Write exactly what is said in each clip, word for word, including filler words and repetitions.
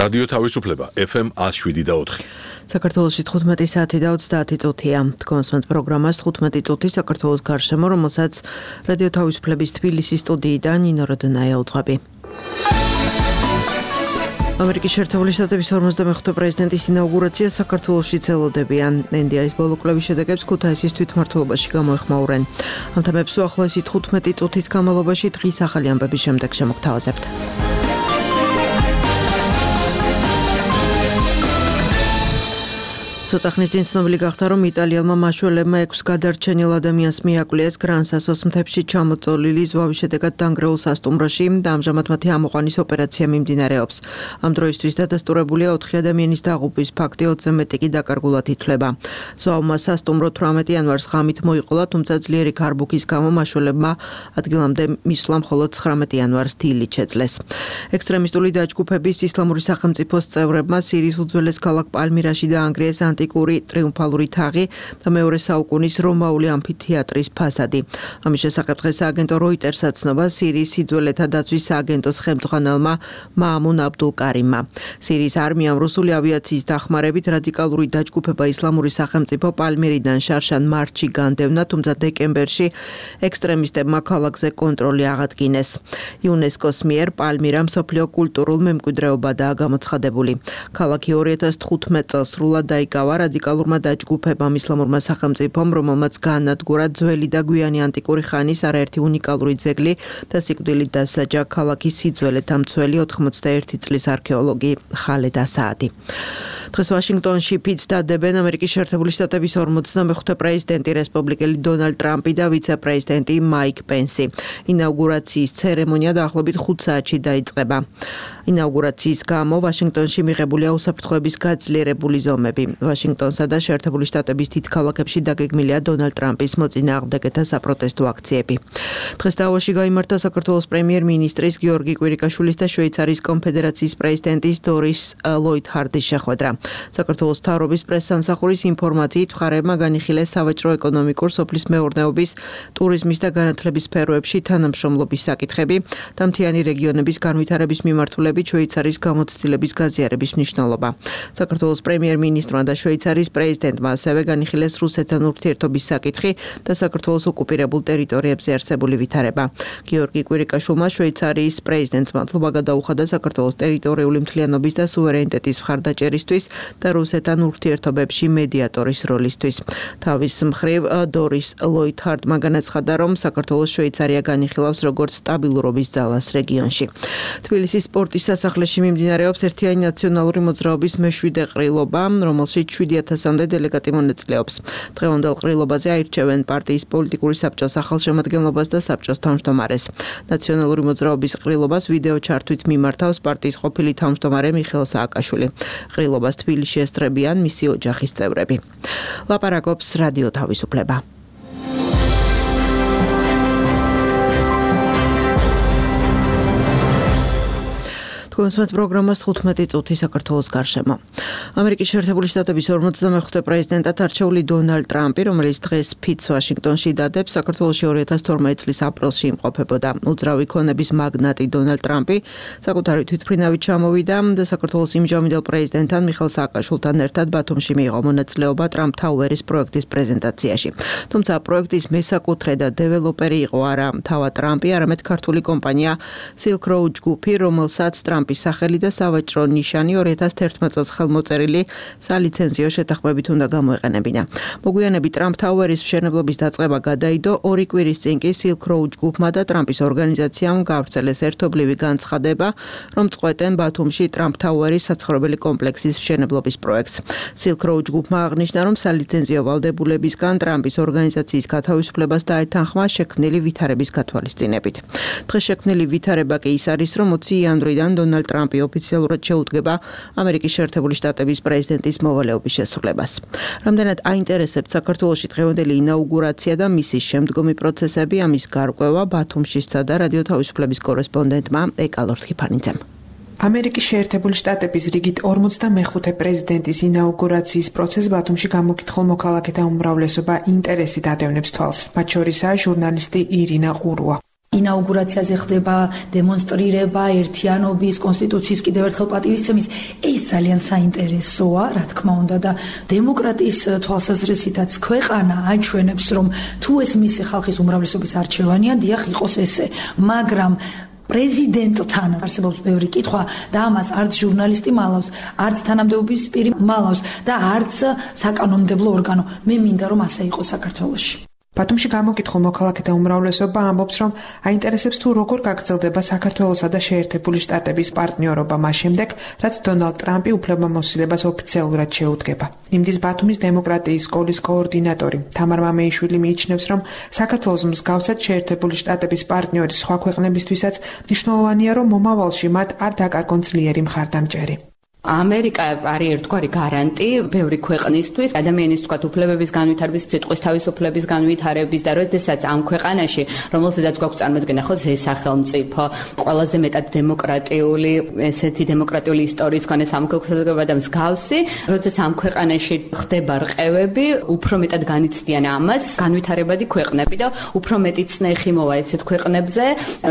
რადიო თავისუფლება ეფ ემ ათს შვიდი და ოთხი. საქართველოში თხუთმეტი საათი და ოცდაათი წუთია. თქვენს პროგრამას თხუთმეტი წუთი საქართველოს გარშემო, რომელსაც რადიო თავისუფლების თბილისის სტუდიიდან ნინო როდონაია უძღვები. ამერიკის შეერთებული შტატების ორმოცდამეხუთე პრეზიდენტის ინაუგურაცია საქართველოში ელოდებიან. ენ დი აის ბოლო კვლევის შედეგებს ქუთაისის თვითმმართველობაში გამოეხმაურენ. ამ თემებს უახლოესი თხუთმეტი წუთის განმავლობაში დღის ახალი ამბების შემდეგ შემოგთავაზებთ. ცოტა ხნის წინ ცნობილი გახდა, რომ იტალიელმა მაშველებმა ექვს გადარჩენილ ადამიანს მიაკვლიეს გრან-სასოს მთებში ჩამოწოლილი ზვავის შედეგად დანგრეულ სასტუმროში და ამჟამად მათი ამოყვანის ოპერაცია მიმდინარეობს. ამ დროისთვის დადასტურებულია ოთხი ადამიანის დაღუპვის ფაქტი, ოცზე მეტი კი დაკარგულად ითვლება. ზვავმა სასტუმრო თვრამეტი იანვარს ღამით მოიყოლა, თუმცა ძლიერი ქარბუქის გამო მაშველებმა ადგილამდე მისვლა მხოლოდ ცხრამეტი იანვარს დილით შეძლეს. ექსტრემისტული დაჯგუფების ისლამური სახელმწიფოს წევრებმა სირიის უძველეს ქალაქ პალმირაში დაანგრიეს ანტიკური ტრიუმფალური თაღი და მეორე საუკუნის რომაული ამფითეატრის ფასადი. ამის შესახებ დღეს სააგენტო როიტერსა ცნობა სირიის სიძველეთა დაცვის სააგენტოს ხელმძღვანელმა მაამუნ აბდულ კარიმმა. სირიის არმიამ რუსული ავიაციის დახმარებით რადიკალური დაჯგუფება ისლამური სახელმწიფო პალმირიდან შარშან მარტში განდევნა, თუმცა დეკემბერში ექსტრემისტებმა ქალაქზე კონტროლი აღადგინეს. იუნესკოს მიერ პალმირა მსოფლიო კულტურულ მემკვიდრეობადაა გამოცხადებული. ქალაქი ორი ათას თხუთმეტ წელს სრულად დაიკავა რადიკალურმა დაჯგუფებამ ისლამურმა სახელმწიფომ, რომელმაც გაანადგურა ძველი და გვიანი ანტიკური ხანის არაერთი უნიკალური ძეგლი და სიკვდილით დასაჯა ქალაქის სიძველეთა მცველი ოთხმოცდაერთი წლის არქეოლოგი ხალედ ასაადი. დღეს ვაშინგტონში ფიცს დადებენ ამერიკის შეერთებული შტატების ორმოცდამეხუთე პრეზიდენტი რესპუბლიკელი დონალდ ტრამპი და ვიცე-პრეზიდენტი მაიკ პენსი. ინაუგურაციის ცერემონია დაახლოებით ხუთ საათში დაიწყება. ინაუგურაციის გამო ვაშინგტონში მიღებულია უსაფრთხოების გაძლიერებული ზომები. ვაშინგტონსა და შეერთებული შტატების დიდ ქალაქებში დაგეგმილია დონალდ ტრამპის მოწინააღმდეგეთა საპროტესტო აქციები. დღეს დავოში გაიმართა საქართველოს პრემიერ-მინისტრის გიორგი კვირიკაშვილის და შვეიცარიის კონფედერაციის პრეზიდენტის დორის ლოითჰარდის შეხვედრა. საქართველოს მთავრობის პრესსამსახურის ინფორმაციით მხარეებმა განიხილეს სავაჭრო, ეკონომიკურ, სოფლის მეურნეობის, ტურიზმის და განათლების სფეროებში თანამშრომლობის საკითხები და მთიანი რეგიონების განვითარების მიმართულებით შვეიცარიის გამოცდილების გაზიარების მნიშვნელობა. საქართველოს პრემიერ-მინისტრმა და შვეიცარიის პრეზიდენტმა ასევე განიხილეს რუსეთთან ურთიერთობის საკითხი და საქართველოს ოკუპირებულ ტერიტორიებზე არსებული ვითარება. გიორგი კვირიკაშვილმა შვეიცარიის პრეზიდენტს მადლობა გადაუხადა საქართველოს ტერიტორიული მთლიანობის და სუვერენიტეტის მხარდაჭერისთვის და რუსეთთან ურთიერთობებში მედიატორის როლისთვის. თავის მხრივ დორის ლოითჰარდმა განაცხადა, რომ საქართველოს შვეიცარია განიხილავს როგორც სტაბილურობის ძალას რეგიონში. თბილისის სპორტის სასახლეში მიმდინარეობს ერთიანი ნაციონალური მოძრაობის მეშვიდე ყრილობა, რომელშიც შვიდი ათასამდე დელეგატი მონაწილეობს. დღევანდელ ყრილობაზე აირჩევენ პარტიის პოლიტიკური საბჭოს ახალშემადგენლობას და საბჭოს თავმჯდომარეს. ნაციონალური მოძრაობის ყრილობას ვიდეო ჩართვით მიმართავს პარტიის ყოფილი თავმჯდომარე მიხეილ სააკაშვილი. ყრილობას თბილისში ესწრებიან მისი ოჯახის წევრები. ლაპარაკობს რადიო თავისუფლება. თქვენს პროგრამას თხუთმეტი წუთი საქართველოს გარშემო. ამერიკის შეერთებული შტატების ორმოცდამეხუთე პრეზიდენტად არჩეული დონალდ ტრამპი, რომელიც დღეს ფიცს ვაშინგტონში დადებს, საქართველოში ორი ათას თორმეტ წლის აპრილში იმყოფებოდა. უძრავი ქონების მაგნატი დონალდ ტრამპი საკუთარი თვითმფრინავით ჩამოვიდა და საქართველოს იმჟამინდელ პრეზიდენტთან მიხეილ სააკაშვილთან ერთად ბათუმში მიიღო მონაწილეობა ტრამპ თაუერის პროექტის პრეზენტაციაში. თუმცა პროექტის მესაკუთრე და დეველოპერი იყო არა თავად ტრამპი, არამედ ქართული კომპანია Silk Road ჯგუფი, რომელსაც ტრამპი სახელი და სავაჭრო ნიშანი ორი ათას თერთმეტ წელს ხელმოწერილი სალიცენზიო შეთანხმებით უნდა გამოეყენებინა. მოგვიანებით ტრამპ თაუერის მშენებლობის დაწყება გადაიდო, ორი კვირის წინ კი Silk Road ჯგუფმა და ტრამპის ორგანიზაციამ გავრცელეს ერთობლივი განცხადება, რომ წყვეტენ ბათუმში ტრამპ თაუერის საცხოვრებელი კომპლექსის მშენებლობის პროექტს. Silk Road ჯგუფმა აღნიშნა, რომ სალიცენზიო ვალდებულებისგან ტრამპის ორგანიზაციის გათავისუფლებას დაეთანხმა შექმნილი ვითარების გათვალისწინებით. დღეს შექმნილი ვითარება კი ის არის, რომ ოცი იანვრიდან დონალდ ტრამპი ოფიციალურად შეუდგება ამერიკის შეერთებული შტატების პრეზიდენტის მოვალეობის შესრულებას. რამდენად აინტერესებთ საქართველოში დღევანდელი ინაუგურაცია და მისი შემდგომი პროცესები, ამის გარკვევა ბათუმში სცადა რადიო თავისუფლების კორესპონდენტმა ეკალორ თქიფანიძემ. ამერიკის შეერთებული შტატების რიგით ორმოცდამეხუთე პრეზიდენტის ინაუგურაციის პროცესს ბათუმში გამოკითხულ მოქალაქეთა უმრავლესობა ინტერესით ადევნებს თვალს. მათ შორისაა ჟურნალისტი ირინა ყურუა. ინაუგურაციაზე ხდება დემონსტრირება ერთიანობის, კონსტიტუციის კიდევ ერთხელ პატივისცემის. ეს ძალიან საინტერესოა, რა თქმა უნდა და დემოკრატიის თვალსაზრისითაც ქვეყანა აჩვენებს, რომ თუ ეს მისი ხალხის უმრავლესობის არჩევანია, დიახ, იყოს ესე, მაგრამ პრეზიდენტთან არსებობს ბევრი კითხვა და ამას არც ჟურნალისტი მალავს, არც თანამდებობის პირი მალავს და არც საკანონმდებლო ორგანო. მე მინდა რომ ასე იყოს საქართველოში. ბათუმში გამოკითხულ მოქალაქეთა უმრავლესობა ამბობს, რომ აინტერესებს თუ როგორ გაგრძელდება საქართველოსა და შეერთებული შტატების პარტნიორობა მას შემდეგ, რაც დონალდ ტრამპი უფლებამოსილებას ოფიციალურად შეუდგება. იმდის ბათუმის დემოკრატიის სკოლის კოორდინატორი თამარ მამეიშვილი მიიჩნევს, რომ საქართველოს მსგავსად შეერთებული შტატების პარტნიორი სხვა ქვეყნებისთვისაც მნიშვნელოვანია, რომ მომავალში მათ არ დაკარგონ ძლიერი მხარდამჭერი. ამერიკა არის ერთგვარი გარანტი ბევრი ქვეყნისთვის, ადამიანის თქვათ უფლებების განვითარების, სიტყვის თავისუფლების განვითარების და როდესაც ამ ქვეყანაში, რომელზედაც გვაქვს წარმოდგენა ხო ზესახელმწიფო, ყველაზე მეტად დემოკრატიული, ესეთი დემოკრატიული ისტორიის მქონე სამოქალაქო და მსგავსი, როდესაც ამ ქვეყანაში ხდება რყევები, უფრო მეტად განიცდიან ამას განვითარებადი ქვეყნები და უფრო მეტი წნეხი მოვა ესეთ ქვეყნებზე.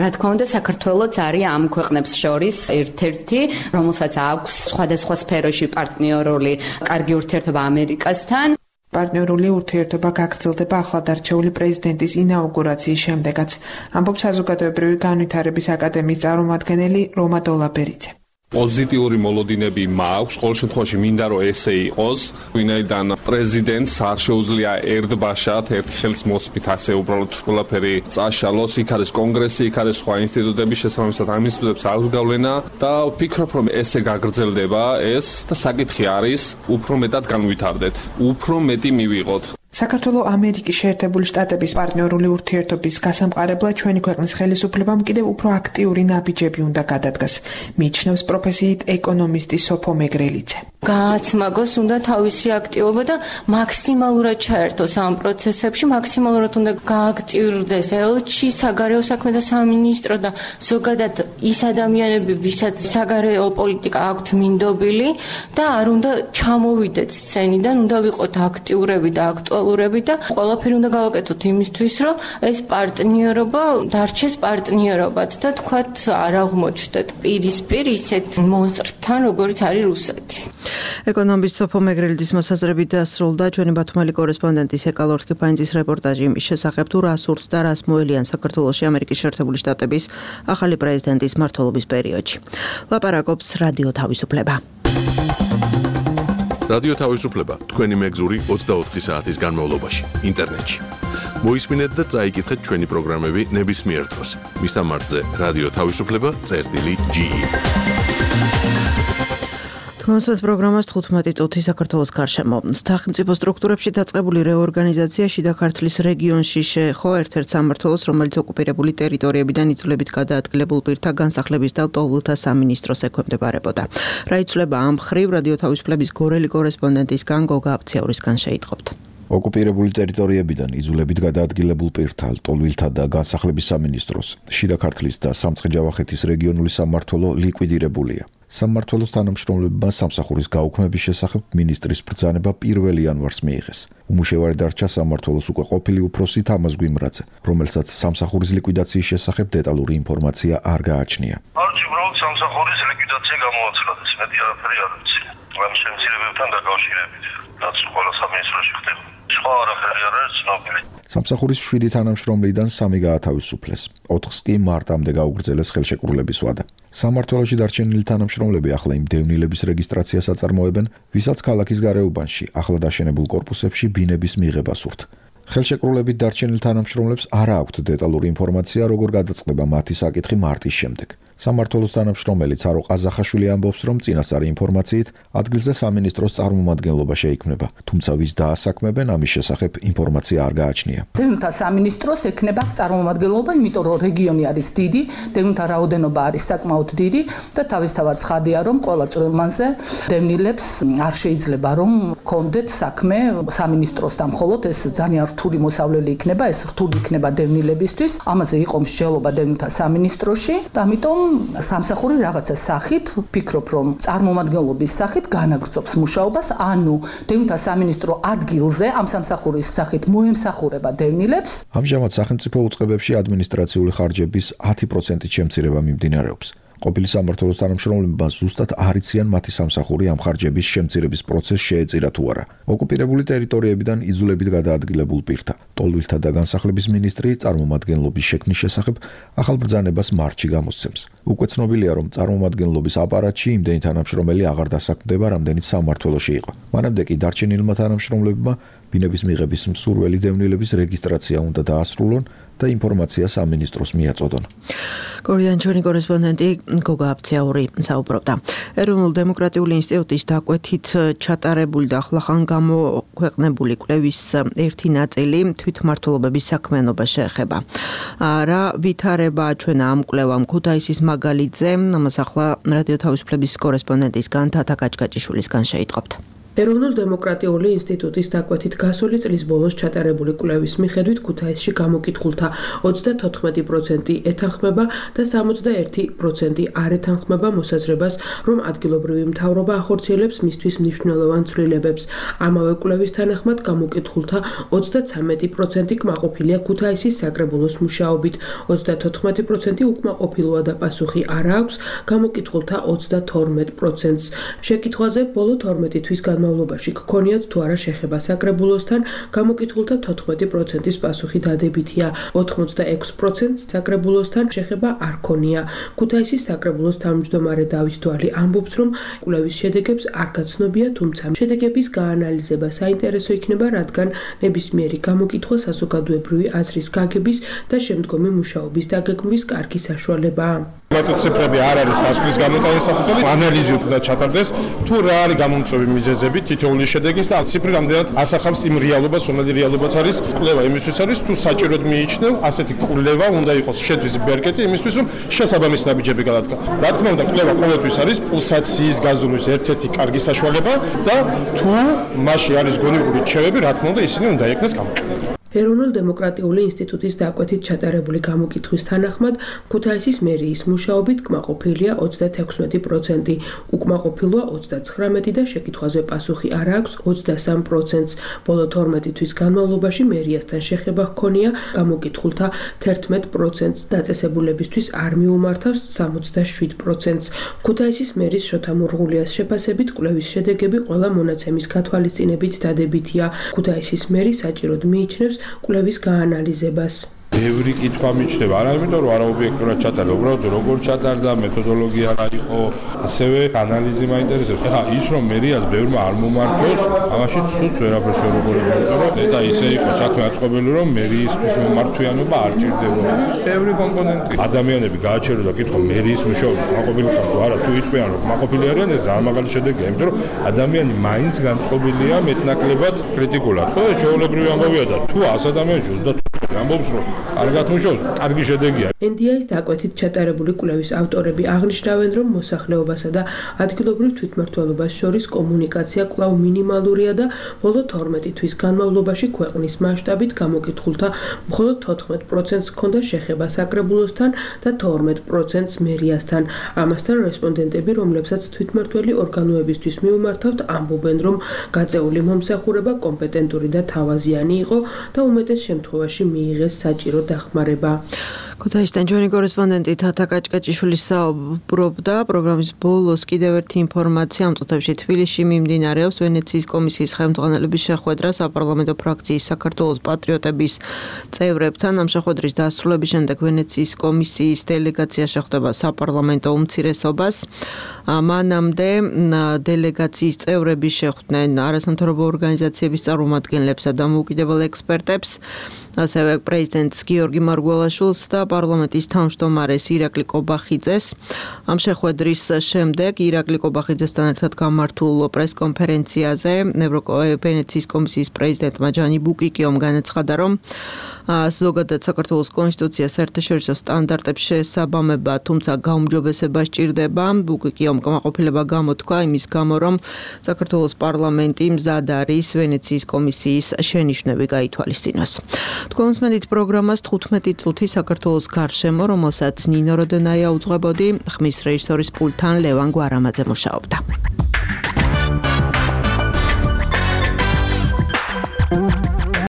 რა თქმა უნდა, საქართველოც არის ამ ქვეყნებს შორის ერთ-ერთი, რომელსაც აქვს სხვადასხვა სფეროში პარტნიორული კარგი ურთიერთობა ამერიკასთან. პარტნიორული ურთიერთობა გაგრძელდება ახლადარჩეული პრეზიდენტის ინაუგურაციის შემდეგაც, ამბობს საზოგადოებრივი განვითარების აკადემიის წარმომადგენელი რომა დოლაბერიძე. პოზიტიური მოლოდინები მაქვს, ყოველ შემთხვევაში მინდა რომ ესე იყოს, ვინაიდან პრეზიდენტს არ შეუძლია ერთბაშად, ერთი ხელის მოსმით ასე უბრალოდ ყველაფერი წაშალოს, იქ არის კონგრესი, იქ არის სხვა ინსტიტუტები, შესაბამისად ამ ინსტიტუტებს აქვს გავლენა და ვფიქრობ რომ ესე გაგრძელდება ეს და საკითხი არის უფრო მეტად განვითარდეთ, უფრო მეტი მივიღოთ. საქართველოს ამერიკის შეერთებული შტატების პარტნიორული ურთიერთობის გასამყარებლად ჩვენი ქვეყნის ხელისუფლებამ კიდევ უფრო აქტიური ნაბიჯები უნდა გადადგას, მიიჩნევს პროფესიით ეკონომისტი სოფო მეგრელიძე. გააცმაგოს უნდა თავისი აქტივობა და მაქსიმალურად ჩაერთოს ამ პროცესებში, მაქსიმალურად უნდა გააქტიურდეს ელჩი, საგარეო საქმეთა სამინისტრო და ზოგადად ის ადამიანები, ვისაც საგარეო პოლიტიკა აქვთ მინდობილი და არ უნდა ჩამოვიდეთ სცენიდან, უნდა ვიყოთ აქტიურები და აქტუალურები და ყველაფერი უნდა გავაკეთოთ იმისთვის, რომ ეს პარტნიორობა დარჩეს პარტნიორობად და თქვათ არ აღმოჩნდეთ პირისპირ ისეთ მონსტრთან, როგორც არის რუსეთი. ეკონომისტ სოფო მეგრელიძის მოსაზრებით დასრულდა ჩვენი ბათუმელი კორესპონდენტის ეკალორ თქიფანიძის რეპორტაჟი იმის შესახებ, თუ რა სურთ და რას მოელიან საქართველოში ამერიკის შეერთებული შტატების ახალი პრეზიდენტის მმართველობის პერიოდში. ლაპარაკობს რადიო თავისუფლება. რადიო თავისუფლება თქვენი მეგზური ოცდაოთხი საათის განმავლობაში ინტერნეტში. მოისმინეთ და წაიკითხეთ ჩვენი პროგრამები ნებისმიერ დროს. მისამართზე რადიო თავისუფლება წერტილი ჯი ი. თქვენსვეთ პროგრამას თხუთმეტი წუთი საქართველოს გარშემო. სახელმწიფო სტრუქტურებში დაწყებული რეორგანიზაცია შიდა ქართლის რეგიონში შეეხო ერთ-ერთ სამმართველოს, რომელიც ოკუპირებული ტერიტორიებიდან იწვლებით გადაადგილებულ პირთა განსახლების და ლტოლვილთა სამინისტროს ექვემდებარებოდა. რა იცვლება ამ მხრივ რადიო თავისუფლების გორელი კორესპონდენტისგან გოგა აბციაურისგან შეიტყობთ. ოკუპირებული ტერიტორიებიდან იზოლებით გადაადგილებულ პირთა, ლტოლვილთა და განსახლების სამინისტროს, შიდა ქართლის და სამცხე-ჯავახეთის რეგიონული სამმართველო ლიკვიდირებულია. სამმართველოს თანამშრომლებმა სამსახურის გაუქმების შესახებ მინისტრის ბრძანება პირველი იანვარს მიიღეს. უმუშევარი დარჩა სამმართველოს უკვე ყოფილი უფროსი თამაზ გვიმრაძე, რომელსაც სამსახურის ლიკვიდაციის შესახებ დეტალური ინფორმაცია არ გააჩნია. არჩი უბრალოდ სამსახურის ლიკვიდაცია გამოაცხადეს, მეტი არაფერი არ ვიცი. ამ შემცირებებთან დაკავშირებით, რაც ყველა სამინისტროში ხდება. სხვა არაფერი არ არის ცნობილი. სამსახურის შვიდი თანამშრომლიდან სამი გაათავისუფლეს, ოთხს კი მარტამდე გაუგრძელეს ხელშეკრულების ვადა. სამმართველოში დარჩენილი თანამშრომლები ახლა იმ დევნილების რეგისტრაციას აწარმოებენ, ვისაც ქალაქის გარეუბანში, ახლად აშენებულ კორპუსებში ბინების მიღება სურთ. ხელშეკრულებით დარჩენილ თანამშრომლებს არ აქვთ დეტალური ინფორმაცია, როგორ გადაწყდება მათი საკითხი მარტის შემდეგ. სამმართველოს თანამშრომელი ცარო ყაზახაშვილი ამბობს, რომ წინასწარი ინფორმაციით ადგილზე სამინისტროს წარმომადგენლობა შეიქმნება, თუმცა ვის დაასაქმებენ ამის შესახებ ინფორმაცია არ გააჩნია. დევნილთა სამინისტროს ექნება წარმომადგენლობა, იმიტომ რომ რეგიონი არის დიდი, დევნილთა რაოდენობა არის საკმაოდ დიდი და თავისთავად ცხადია, რომ ყველა წვრილმანზე დევნილებს არ შეიძლება რომ კონდეთ საქმე სამინისტროსთან, მხოლოდ ეს ძალიან რთული მოსავლელი იქნება, ეს რთული იქნება დევნილებისთვის, ამაზე იყო მსჯელობა დევნილთა სამინისტროში და ამიტომ სამსახური რაღაცა სახით, ფიქრობ, რომ წარმომადგენლობის სახით განაგრძობს მუშაობას, ანუ დევნილთა სამინისტრო ადგილზე ამ სამსახურის სახით მოემსახურება დევნილებს. ამჟამად სახელმწიფო უწყებებში ადმინისტრაციული ხარჯების ათი პროცენტით შემცირება მიმდინარეობს. ყოფილი სამმართველოს თანამშრომლებმა ზუსტად არ იციან მათი სამსახური ამ ხარჯების შემცირების პროცესს შეეწირა თუ არა. ოკუპირებული ტერიტორიებიდან იძულებით გადაადგილებულ პირთა, ტოლვილთა და განსახლების მინისტრი წარმომადგენლობის შექმნის შესახებ ახალ ბრძანებას მარტში გამოსცემს. უკვე ცნობილია, რომ წარმომადგენლობის აპარატში იმდენი თანამშრომელი აღარ დასაქმდება, რამდენიც სამმართველოში იყო. მანამდე კი დარჩენილმა თანამშრომლებმა ბინების მიღების მსურველი დევნილების რეგისტრაცია უნდა დაასრულონ და ინფორმაცია სამინისტროს მიაწოდონ. კორიდან ჩვენი კორესპონდენტი გოგა აფციაური საუბრობდა. ეროვნულ დემოკრატიული ინსტიტუტის დაკვეთით ჩატარებული და ახლახან გამოქვეყნებული კვლევის ერთი ნაწილი თვითმმართველობების საქმიანობას შეეხება. რა ვითარებაა ჩვენ ამ კვლევამ ქუთაისის მაგალითზე, ამას ახლა რადიო თავისუფლების კორესპონდენტისგან თათა კაჭკაჭიშვილისგან შეიტყობთ. ეროვნულ დემოკრატიული ინსტიტუტის დაკვეთით გასული წლის ბოლოს ჩატარებული კვლევის მიხედვით ქუთაისში გამოკითხულთა ოცდათოთხმეტი პროცენტი ეთანხმება და სამოცდაერთი პროცენტი არ ეთანხმება მოსაზრებას, რომ ადგილობრივი მთავრობა ახორციელებს მისთვის მნიშვნელოვან ცვლილებებს. ამავე კვლევის თანახმად გამოკითხულთა ოცდაცამეტი პროცენტი კმაყოფილია ქუთაისის საკრებულოს მუშაობით, ოცდათოთხმეტი პროცენტი უკმაყოფილოა და პასუხი არ აქვს გამოკითხულთა ოცდათორმეტ პროცენტს. შეკითხვაზე ბოლო თორმეტი თვის განმავლობაში გქონიათ თუ არა შეხება საკრებულოსთან, გამოკითხულთა თოთხმეტი პროცენტის პასუხი დადებითია, ოთხმოცდაექვსი პროცენტს საკრებულოსთან შეხება არ ქონია. ქუთაისის საკრებულოს თავმჯდომარე დავით დვალი ამბობს, რომ კვლევის შედეგებს არ გაცნობია, თუმცა შედეგების გაანალიზება საინტერესო იქნება, რადგან ნებისმიერი გამოკითხვა საზოგადოებრივი აზრის გაგების და შემდგომი მუშაობის დაგეგმვის კარგი საშუალებაა. ციფრები არ არის დასკვნის გამოტანის საფუძველი, ანალიზი უნდა ჩატარდეს, თუ რა არის გამომწვევი მიზეზები თითოეული შედეგის და ციფრი რამდენად ასახავს იმ რეალობას, რომელი რეალობაც არის. კვლევა იმისთვის არის, თუ საჭიროდ მიიჩნევ, ასეთი კვლევა უნდა იყოს შეთვის ბერკეტი იმისთვის, რომ შესაბამის ნაბიჯები გადადგა. რა თქმა უნდა, კვლევა ყოველთვის არის პულსაციის გაზომვის ერთ-ერთი კარგი საშუალება და თუ მასში არის გონივრული რჩევები, რა თქმა უნდა, ისინი უნდა იქნეს გამოყენებული. ეროვნულ დემოკრატიული ინსტიტუტის დაკვეთით ჩატარებული გამოკითხვის თანახმად ქუთაისის მერიის მუშაობით კმაყოფილია ოცდათექვსმეტი პროცენტი, უკმაყოფილოა ოცდაცხრამეტი და შეკითხვაზე პასუხი არ აქვს ოცდასამ პროცენტს. ბოლო თორმეტი თვის განმავლობაში მერიასთან შეხება ჰქონია გამოკითხულთა თერთმეტ პროცენტს, დაწესებულებისთვის არ მიუმართავს სამოცდაშვიდ პროცენტს. ქუთაისის მერის შოთა მურღულიას შეფასებით კვლევის შედეგები ყველა მონაცემის გათვალისწინებით დადებითია. ქუთაისის მერი საჭიროდ მიიჩნევს კვლევის გაანალიზებას. ბევრი კითხვა მიჩნდება, არა იმიტომ რომ არაობიექტურად ჩატარდა, უბრალოდ როგორ ჩატარდა, მეთოდოლოგია რა იყო, ასევე ანალიზი მაინტერესებს. ეხლა ის რომ მერიას ბევრმა არ მომართოს, ამაში ცუც ვერაფერს ვერ უყურებთ და ისე იყო საქმე აწყობილი, რომ მერიისთვის მომართვიანობა არ ჭირდებოდა. ბევრი კომპონენტი. ადამიანები გააჩერო და კითხო მერიის მუშაობა კმაყოფილი ხარ თუ არა, თუ იტყვიან რომ კმაყოფილი არიან, ეს ძალიან მაგარი შედეგია, იმიტომ რომ ადამიანი მაინც განწყობილია მეტნაკლებად კრიტიკულად. ხო, შეულებრივი ამბავია და თუ ას ადამიანში ოცდათოთხ ამბობს რომ კარგად მუშაობს, კარგი შედეგია. ენ დი ეის დაკვეთით ჩატარებული კვლევის ავტორები აღნიშნავენ, რომ მოსახლეობასა და ადგილობრივ თვითმმართველობას შორის კომუნიკაცია კვლავ მინიმალურია და ბოლო თორმეტი თვის განმავლობაში ქვეყნის მასშტაბით გამოკითხულთა მხოლოდ თოთხმეტ პროცენტს ჰქონდა შეხება საკრებულოსთან და თორმეტ პროცენტს მერიასთან. ამასთან რესპონდენტები, რომლებსაც თვითმმართველი ორგანოებისთვის მიუმართავთ, ამბობენ, რომ გაწეული მომსახურება კომპეტენტური და თავაზიანი იყო და უმეტეს შემთხვევაში მიიღეს საჭირო დახმარება. ქუთაისიდან ჩვენი კორესპონდენტი თათა კაჭკაჭიშვილი საუბრობდა. პროგრამის ბოლოს კიდევ ერთი ინფორმაცია ამ წუთებში თბილისში მიმდინარეობს ვენეციის კომისიის ხელმძღვანელობის შეხვედრა საპარლამენტო ფრაქციის საქართველოს პატრიოტების წევრებთან. ამ შეხვედრის დასრულების შემდეგ ვენეციის კომისიის დელეგაცია შეხვდება საპარლამენტო უმცირესობას. მანამდე დელეგაციის წევრები შეხვდნენ არასამთავრობო ორგანიზაციების წარმომადგენლებსა და მოუკიდებელ ექსპერტებს, ასევე პრეზიდენტს გიორგი მარგველაშვილს და პარლამენტის თავმჯდომარეს ირაკლი კობახიძეს. ამ შეხვედრის შემდეგ ირაკლი კობახიძესთან ერთად გამართულ პრესკონფერენციაზე ვენეციის კომისიის პრეზიდენტმა ჯანი ბუკიკიომ განაცხადა, რომ ზოგადად საქართველოს კონსტიტუციას საერთაშორისო სტანდარტებს შესაბამება, თუმცა გაუმჯობესება სჭირდება. უკვე კი უკმაყოფილება გამოთქვა იმის გამო, რომ საქართველოს პარლამენტი მზად არის ვენეციის კომისიის შენიშვნები გაითვალისწინოს. თქვენს მედით პროგრამას თხუთმეტი წუთი საქართველოს გარშემო, რომელსაც ნინო როდონაია უძღვებოდი, ხმის რეჟისორის პულტთან ლევან გვარამაძე მუშაობდა.